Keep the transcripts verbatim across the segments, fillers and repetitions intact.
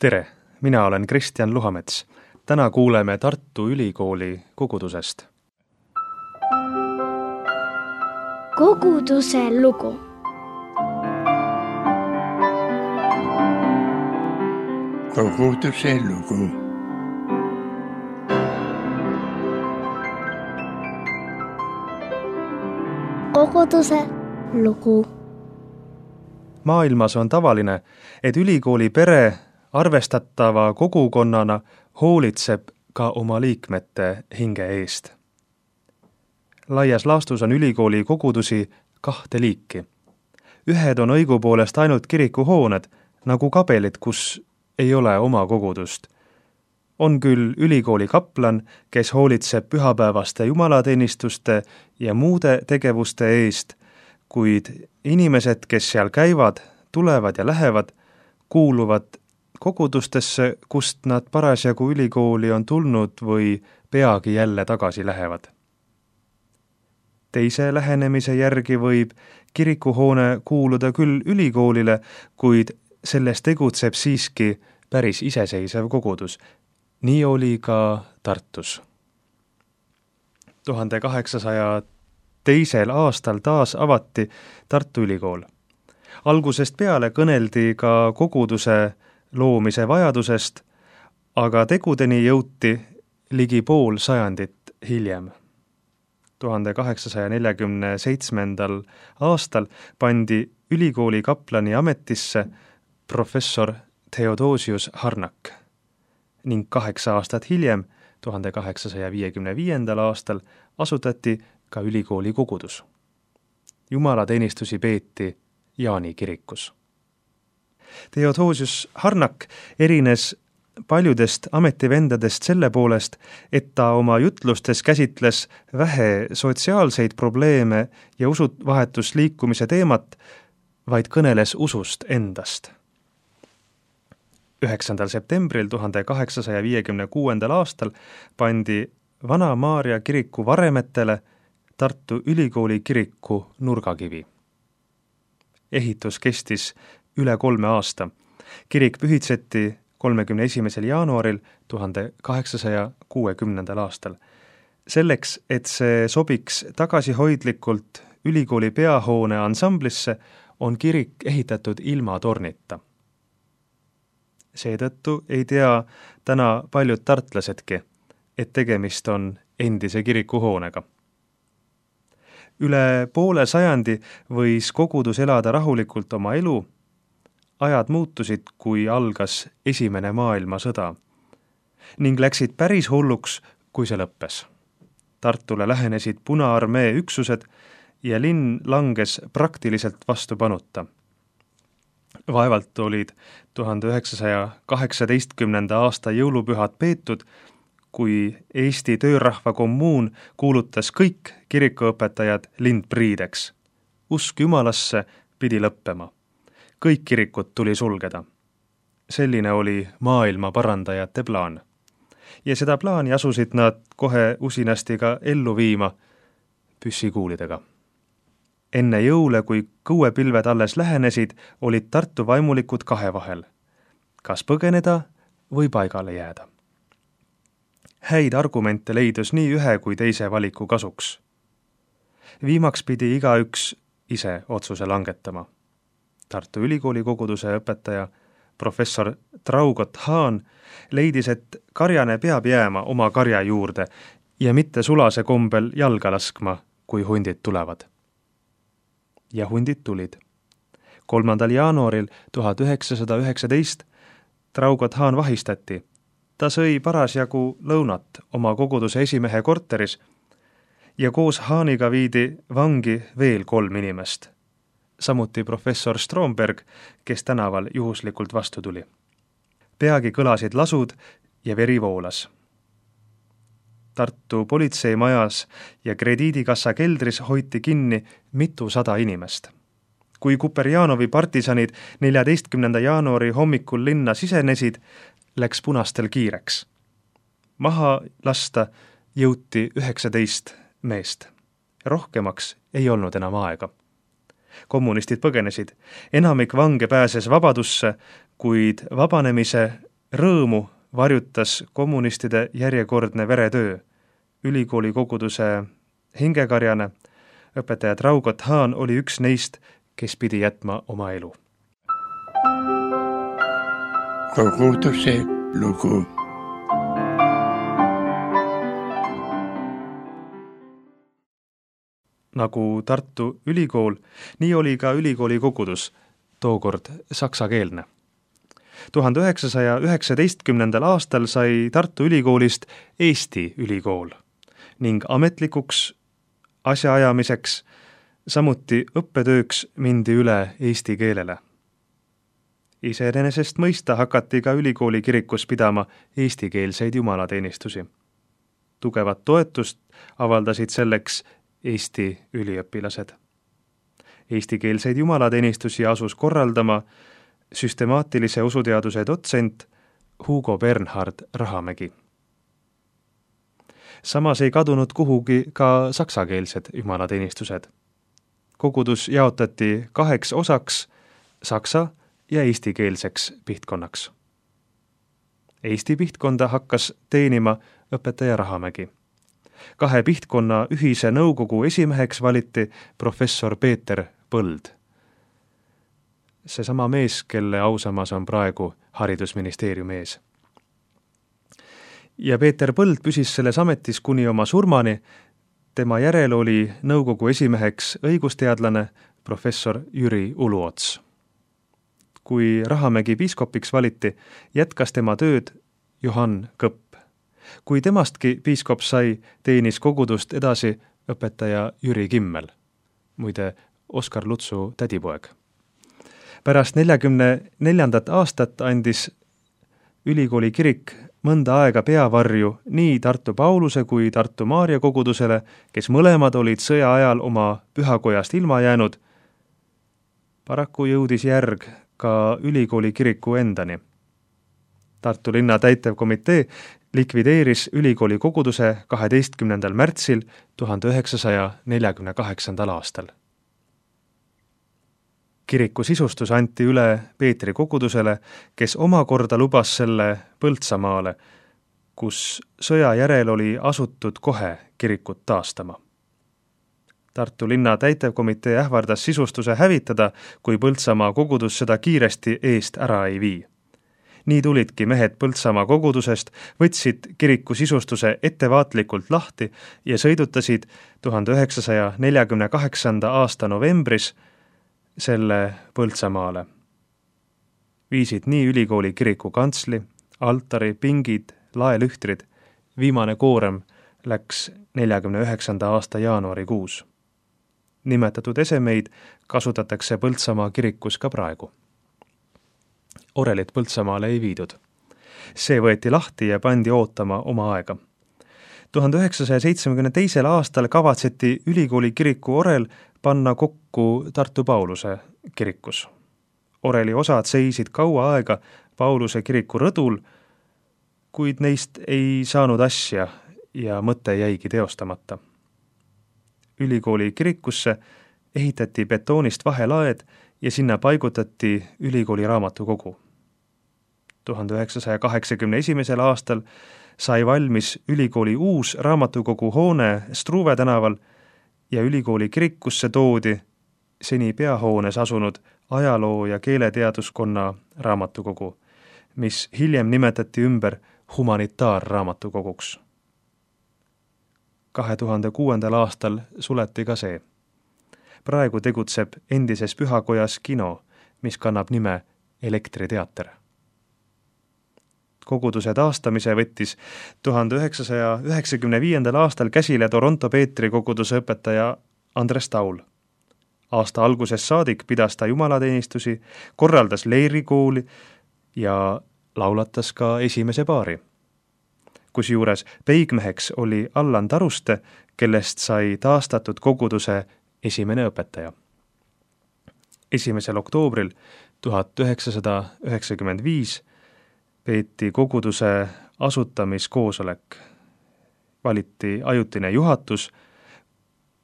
Tere, mina olen Kristjan Luhamets. Täna kuuleme Tartu Ülikooli kogudusest. Koguduse lugu. Koguduse lugu. Koguduse lugu. Maailmas on tavaline, et ülikooli pere arvestatava kogukonnana hoolitseb ka oma liikmete hinge eest. Laias laastus on ülikooli kogudusi kahte liiki. Ühed on õigupoolest ainult kirikuhooned, nagu kabelid, kus ei ole oma kogudust. On küll ülikooli kaplan, kes hoolitseb pühapäevaste jumalateenistuste ja muude tegevuste eest, kuid inimesed, kes seal käivad, tulevad ja lähevad, kuuluvad kogudustesse, kust nad parasjagu ülikooli on tulnud või peagi jälle tagasi lähevad. Teise lähenemise järgi võib kirikuhoone kuuluda küll ülikoolile, kuid selles tegutseb siiski päris iseseisev kogudus. Nii oli ka Tartus. tuhande kaheksasaja teisel aastal taas avati Tartu Ülikool. Algusest peale kõneldi ka koguduse loomise vajadusest, aga tegudeni jõuti ligi pool sajandit hiljem. tuhande kaheksasaja neljakümne seitsmendal aastal pandi ülikooli kaplani ametisse professor Theodosius Harnak ning kaheksa aastat hiljem, tuhande kaheksasaja viiekümne viiendal aastal, asutati ka ülikooli kogudus. Jumalateenistusi peeti Jaani kirikus. Theodosius Harnak erines paljudest ametivendadest selle poolest, et ta oma jutlustes käsitles vähe sotsiaalseid probleeme ja usuvahetusliikumise teemat, vaid kõneles usust endast. üheksandal septembril tuhande kaheksasaja viiekümne kuuendal aastal pandi Vana Maarja kiriku varemetele Tartu Ülikooli kiriku nurgakivi. Ehitus kestis üle kolme aasta. Kirik pühitseti kolmekümne esimesel jaanuaril tuhande kaheksasaja kuuekümnendal aastal. Selleks, et see sobiks tagasihoidlikult ülikooli peahoone ansamblisse, on kirik ehitatud ilma tornita. Seetõttu ei tea täna paljud tartlasedki, et tegemist on endise kirikuhoonega. Üle poole sajandi võis kogudus elada rahulikult oma elu. Ajad muutusid, kui algas esimene maailmasõda ning läksid päris hulluks, kui see lõppes. Tartule lähenesid Punaarmee üksused ja linn langes praktiliselt vastupanuta. Vaevalt olid tuhande üheksasaja kaheksateistkümnenda aasta jõulupühad peetud, kui Eesti töörahva kommuun kuulutas kõik kirikuõpetajad lindpriideks. Usk Jumalasse pidi lõppema. Kõik kirikud tuli sulgeda. Selline oli maailma parandajate plaan. Ja seda plaani asusid nad kohe usinasti ka ellu viima püssikuulidega. Enne jõule, kui kõuepilved alles lähenesid, olid Tartu vaimulikud kahe vahel. Kas põgeneda või paigale jääda? Häid argumente leidus nii ühe kui teise valiku kasuks. Viimaks pidi igaüks ise otsuse langetama. Tartu Ülikooli koguduse õpetaja professor Traugott Hahn leidis, et karjane peab jääma oma karja juurde ja mitte sulase kombel jalga laskma, kui hundid tulevad. Ja hundid tulid. kolmandal jaanuaril tuhat üheksasada üheksateist Traugott Hahn vahistati. Ta sõi parasjagu lõunat oma koguduse esimehe korteris ja koos Hahniga viidi vangi veel kolm inimest. Samuti professor Stromberg, kes tänaval juhuslikult vastu tuli. Peagi kõlasid lasud ja veri voolas. Tartu politseimajas ja krediidikassa keldris hoiti kinni mitusada inimest. Kui Kuperjanovi partisanid neljateistkümnenda jaanuari hommikul linna sisenesid, läks punastel kiireks. Maha lasta jõuti üheksateist meest. Rohkemaks ei olnud enam aega. Kommunistid põgenesid. Enamik vange pääses vabadusse, kuid vabanemise Rõõmu varjutas kommunistide järjekordne veretöö. Ülikooli koguduse hingekarjane, õpetaja Traugot Haan oli üks neist, kes pidi jätma oma elu. Koguduse lugu. Nagu Tartu Ülikool, nii oli ka ülikooli kogudus, tookord saksakeelne. tuhande üheksasaja üheksateistkümnendal aastal sai Tartu Ülikoolist Eesti ülikool ning ametlikuks asjaajamiseks, samuti õppetööks mindi üle eesti keelele. Iseenesest mõista hakati ka ülikooli kirikus pidama eestikeelseid jumalateenistusi. Tugevat toetust avaldasid selleks Eesti üliõpilased. Eestikeelseid jumalateenistusi asus korraldama süstemaatilise usuteaduse dotsent Hugo Bernhard Rahamägi. Samas ei kadunud kuhugi ka saksakeelsed jumalateenistused. Kogudus jaotati kaheks osaks, saksa ja eestikeelseks pihtkonnaks. Eesti pihtkonda hakkas teenima õpetaja Rahamägi. Kahe pihtkonna ühise nõukogu esimeheks valiti professor Peeter Põld. Seesama mees, kelle ausammas on praegu haridusministeeriumi ees. Ja Peeter Põld püsis selles ametis kuni oma surmani. Tema järel oli nõukogu esimeheks õigusteadlane professor Jüri Uluots. Kui Rahamägi piiskopiks valiti, jätkas tema tööd Johann Kõpp. Kui temastki piiskop sai, teenis kogudust edasi õpetaja Jüri Kimmel, muide Oskar Lutsu tädipoeg. Pärast neljakümne neljandat aastat andis ülikooli kirik mõnda aega peavarju nii Tartu Pauluse kui Tartu Maarja kogudusele, kes mõlemad olid sõja ajal oma pühakojast ilma jäänud. Paraku jõudis järg ka ülikooli kiriku endani. Tartu linna täitevkomitee likvideeris ülikooli koguduse kaheteistkümnendal märtsil tuhande üheksasaja neljakümne kaheksandal aastal. Kiriku sisustus anti üle Peetri kogudusele, kes omakorda lubas selle Põltsamaale, kus sõja järel oli asutud kohe kirikut taastama. Tartu linna täitevkomitee ähvardas sisustuse hävitada, kui Põltsamaa kogudus seda kiiresti eest ära ei vii. Nii tulidki mehed Põltsamaa kogudusest, võtsid kiriku sisustuse ettevaatlikult lahti ja sõidutasid tuhande üheksasaja neljakümne kaheksanda aasta novembris selle Põltsamaale. Viisid nii ülikooli kiriku kantsli, altari, pingid, laelühtrid. Viimane koorem läks neljakümne üheksanda aasta jaanuarikuus. Nimetatud esemeid kasutatakse Põltsamaa kirikus ka praegu. Orelit Põltsamaale ei viidud. See võeti lahti ja pandi ootama oma aega. tuhande üheksasaja seitsmekümne teisel aastal kavatseti ülikooli kiriku orel panna kokku Tartu Pauluse kirikus. Oreli osad seisid kaua aega Pauluse kiriku rõdul, kuid neist ei saanud asja ja mõte jäigi teostamata. Ülikooli kirikusse ehitati betoonist vahelaed ja sinna paigutati ülikooli raamatukogu. tuhande üheksasaja kaheksakümne esimesel aastal sai valmis ülikooli uus raamatukogu hoone Struve tänaval ja ülikooli kirikusse toodi seni peahoones asunud ajaloo- ja keeleteaduskonna raamatukogu, mis hiljem nimetati ümber humanitaarraamatukoguks. kahe tuhande kuuendal aastal suleti ka see. Praegu tegutseb endises pühakojas kino, mis kannab nime Elektriteater. Koguduse taastamise võttis tuhande üheksasaja üheksakümne viiendal aastal käsile Toronto Peetri koguduse õpetaja Andres Taul. Aasta alguses saadik pidas ta jumalateenistusi, korraldas leirikooli ja laulatas ka esimese paari. Kusjuures peigmeheks oli Allan Taruste, kellest sai taastatud koguduse esimene õpetaja. esimesel oktoobril tuhat üheksasada üheksakümmend viis peeti koguduse asutamiskoosolek. Valiti ajutine juhatus,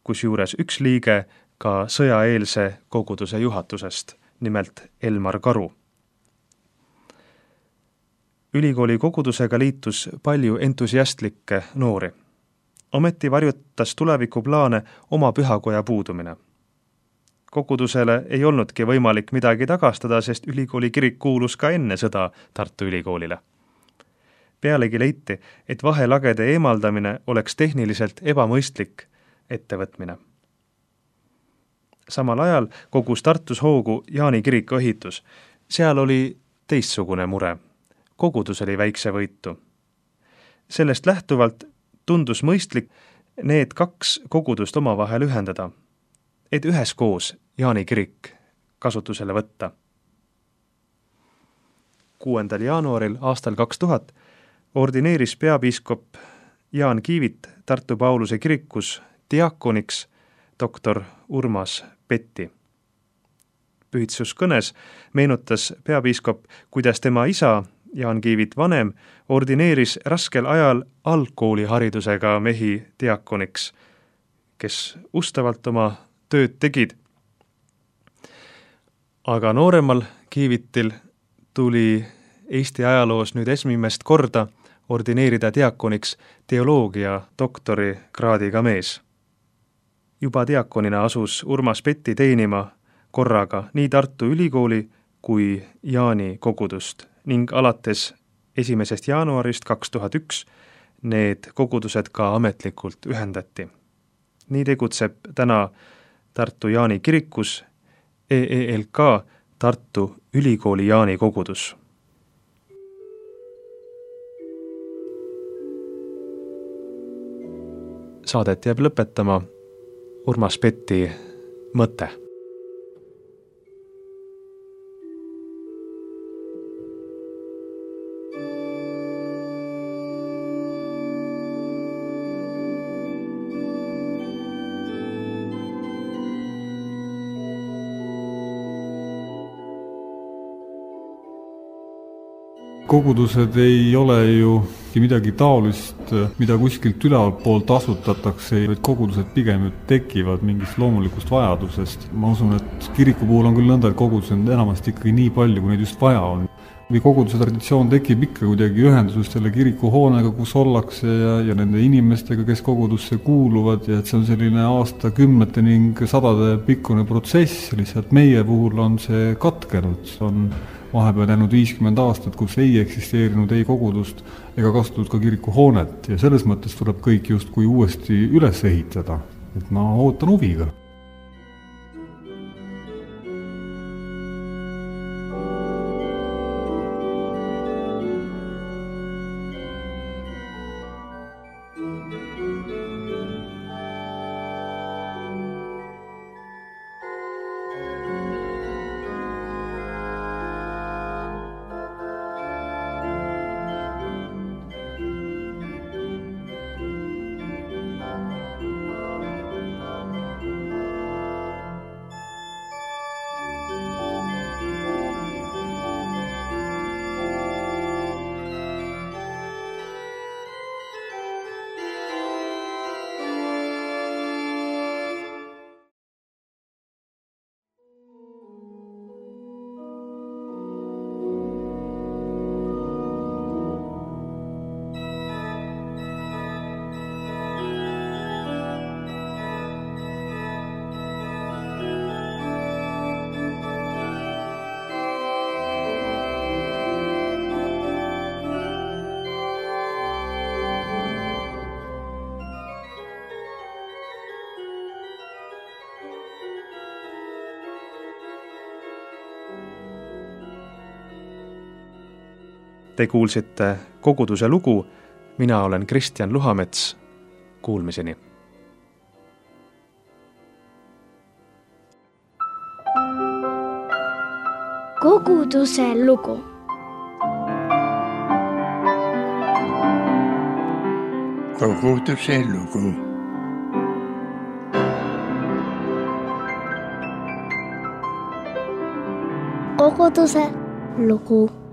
kusjuures üks liige ka sõjaeelse koguduse juhatusest, nimelt Elmar Karu. ülikooli kogudusega liitus palju entusiastlikke noori. Ometi varjutas tulevikuplaane oma pühakoja puudumine. Kogudusele ei olnudki võimalik midagi tagastada, sest ülikooli kirik kuulus ka enne sõda Tartu Ülikoolile. Pealegi leiti, et vahelagede eemaldamine oleks tehniliselt ebamõistlik ettevõtmine. Samal ajal kogus Tartus hoogu Jaani kiriku ehitus. Seal oli teistsugune mure. Kogudus oli väikse võitu. Sellest lähtuvalt tundus mõistlik need kaks kogudust omavahel ühendada, et üheskoos Jaani kirik kasutusele võtta. kuuendal jaanuaril aastal kaks tuhat ordineeris peapiiskop Jaan Kiivit Tartu Pauluse kirikus diakoniks doktor Urmas Petti. Pühitsuskõnes meenutas peapiiskop, kuidas tema isa Jaan Kiivit vanem ordineeris raskel ajal algkooliharidusega mehi diakoniks, kes ustavalt oma tööd tegid. Aga nooremal Kiivitil tuli Eesti ajaloos nüüd esimest korda ordineerida diakoniks teoloogia doktori kraadiga mees. Juba diakonina asus Urmas Petti teenima korraga nii Tartu Ülikooli kui Jaani kogudust ning alates esimesest jaanuarist kaks tuhat üks need kogudused ka ametlikult ühendati. Nii tegutseb täna Tartu Jaani kirikus E E L K Tartu Ülikooli Jaani kogudus. Saadet jääb lõpetama Urmas Petti mõte. Kogudused ei ole ju midagi taolist, mida kuskilt ülevalpoolt asutatakse, vaid kogudused pigem tekivad mingist loomulikust vajadusest. Ma usun, et kiriku puhul on küll nõnda, et kogudused on enamasti ikkagi nii palju, kui neid just vaja on. Või koguduse traditsioon tekib ikka kuidagi ühenduses selle kirikuhoonega, kus ollakse ja, ja nende inimestega, kes kogudusse kuuluvad, ja et see on selline aastakümnete ning sadade pikkune protsess, lihtsalt meie puhul on see katkenud. See on vahepeal jäänud viiskümmend aastat, kus ei eksisteerinud ei kogudust ega kasutatud ka kirikuhoonet ja selles mõttes tuleb kõik justkui uuesti üles ehitada. Et ma ootan huviga. Te kuulsite koguduse lugu, mina olen Kristjan Luhamets, kuulmiseni. Koguduse lugu. Koguduse lugu. Koguduse lugu.